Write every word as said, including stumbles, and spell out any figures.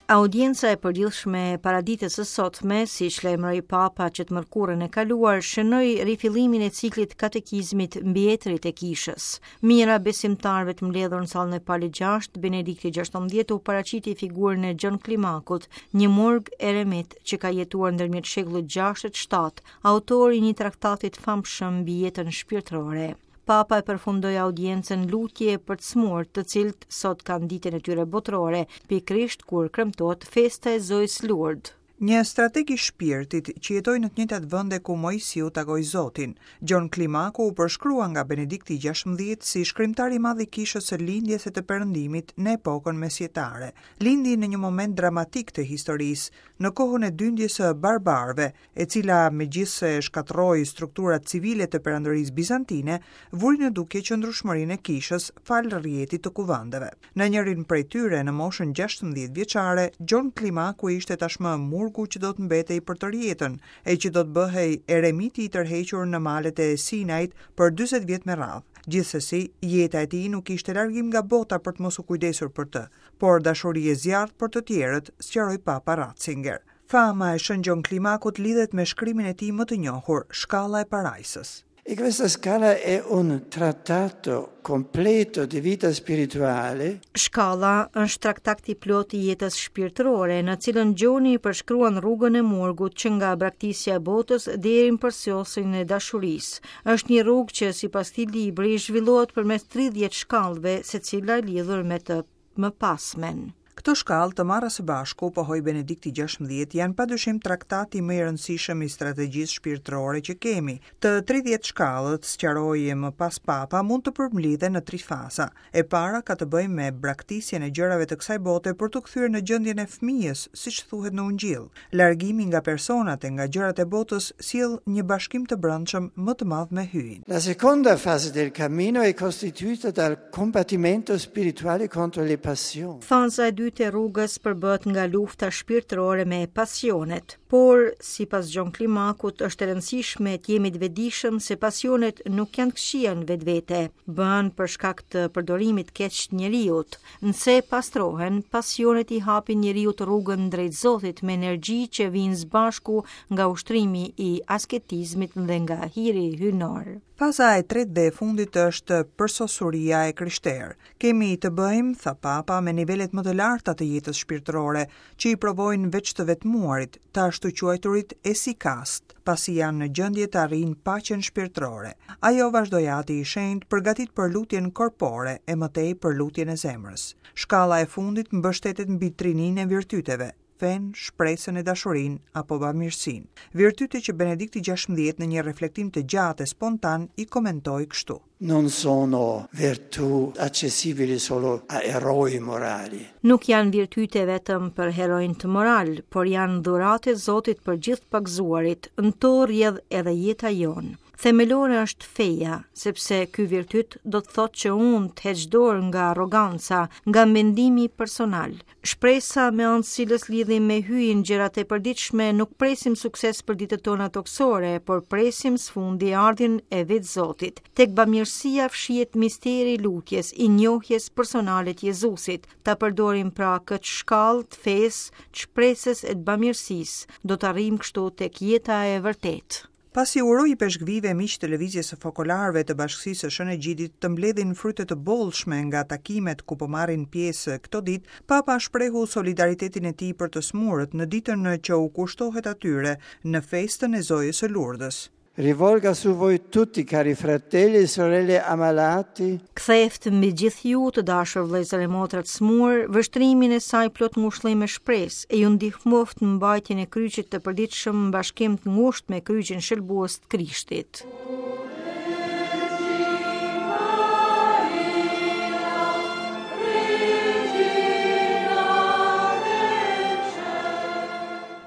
Audienca e përgjithshme e paraditës së sotme, siç lajmëroi Papa që të mërkurën e kaluar, shënoi rifillimin e ciklit katekizmit mbi etërit e kishës. Mijëra besimtarëve të mbledhur në sallën e Palit gjashtë, Benedikti gjashtëmbëdhjetë u paraqiti figurën e Gjon Klimakut, një murg eremit që ka jetuar ndërmjet shekullit gjashtë e shtatë, autor i një traktati të famshëm mbi jetën shpirtërore. Papa e përfundoi audiencën lutje për të smurë, të cilët sot kanë ditën e tyre botërore, pikërisht kur kremtohet festa e Zojës Lourdes. Një strateg i shpirtit që jetoi në të njëjtat vende ku Moisiu takoi Zotin, Gjon Klimaku u përshkrua nga Benedikti gjashtëmbëdhjetë si shkrimtar i madh i kishës së lindjes e të perëndimit në epokën mesjetare. Lindi në një moment dramatik të historisë, në kohën e dyndjes së barbarëve, e cila megjithëse shkatërroi strukturat civile të perandorisë bizantine, vuri në dukje qëndrueshmërinë e kishës falë rrjetit të kuvendeve. Në njërin prej tyre, në moshën gjashtëmbëdhjetë vjeçare, Gjon Klimaku ishte tashmë murgu që do të mbetej për tërë jetën, e që do të bëhej eremiti i tërhequr në malet e Sinait për dyzet vjet me radhë. Gjithsesi, jeta e tij nuk ishte largim nga bota për të mos u kujdesur për të, por dashuri e zjarrt për të tjerët, sqaroi Papa Ratzinger. Fama e Shën Gjon Klimakut lidhet me shkrimin e tij më të njohur, Shkalla e Parajsës. E questa scala è un trattato completo di vita spirituale. Shkalla është traktati i plotë i jetës shpirtërore, në cilën Gjoni përshkruan rrugën e murgut që nga braktisja e botës deri në përsosjen e dashurisë. Është një rrugë që sipas këtij libri zhvillohet përmes tridhjetë shkallëve, secila e lidhur me të mëpasmen. Këto shkallë të marra së bashku, pohoi Benedikti gjashtëmbëdhjetë, janë padyshim traktati më i rëndësishëm i strategjisë shpirtërore që kemi. Të tridhjetë shkallët, sqaroi më pas Papa, mund të përmblidhen në tri faza. E para ka të bëjë me braktisjen e gjërave të kësaj bote për t'u kthyer në gjendjen e fëmijës, siç thuhet në Ungjillë. Largimi nga personat e nga gjërat e botës sjell një bashkim të brendshëm më të madh me Hyjin. La seconda fase del cammino è costituita dal combattimento spirituale contro le passioni. Faza e dytë e rrugës përbëhet nga lufta shpirtërore me pasionet, por sipas Gjon Klimakut është e rëndësishme të jemi të vetëdijshëm se pasionet nuk janë të këqija në vetvete, bëhen për shkak të përdorimit keq të njeriut. Nëse pastrohen, pasionet i hapin njeriut rrugën drejt Zotit me energji që vijnë së bashku nga ushtrimi i asketizmit dhe nga hiri hyjnor. Faza e tretë dhe e fundit është përsosuria e krishterë. Kemi të bëjmë, tha Papa, me nivelet më të larta të jetës shpirtërore, që i provojnë veç të vetmuarit, të ashtu quajturit esikast, pasi janë në gjendje të arrijnë paqen shpirtërore. Ajo vazhdoi Ati i Shenjtë, përgatit për lutjen korpore e më tej për lutjen e zemrës. Shkalla e fundit mbështetet mbi trininë e virtyteve, fen, shpresën e dashurinë apo bamirësinë. Virtyte që Benedikti gjashtëmbëdhjetë në një reflektim të gjatë e spontan i komentoi kështu. Non sono virtù accessibili solo a eroi morali. Nuk janë virtyte vetëm për heronjtë moral, por janë dhuratë e Zotit për gjithë pagëzuarit. Në to rrjedh edhe jeta jonë. Themelore është feja, sepse ky virtyt do të thotë që unë të heq dorë nga arroganca, nga mendimi personal. Shpresa me anë cilës lidhim me hyjin gjërat e përditshme, nuk presim sukses për ditët tona tokësore, por presim së fundi ardhjen e vetë Zotit. Tek bamirësia fshihet misteri i lutjes, i njohjes personale të Jezusit. Ta përdorim pra këtë shkallë të fesë, të shpresës e të bamirësisë, do të arrijmë kështu tek jeta e vërtetë. Pasi uroi ipeshkvive miq të lëvizjes së fokolarëve të bashkësisë së Shën Egjidit të mbledhin fryte të bollshme nga takimet ku po marrin pjesë këto ditë, Papa shprehu solidaritetin e tij për të smurët në ditën që u kushtohet atyre në festën e Zojës së Lourdës. Rivolga su voi tutti, cari fratelli e sorelle ammalati. Ktheft mbi gjithë ju të dashur vëllezër e motra të smur, vështrimin e saj plot ngushëllim e shpresë, e ju ndihmoft në mbajtjen e kryqit të përditshëm në bashkim të ngushtë me kryqin shëlbues të Krishtit.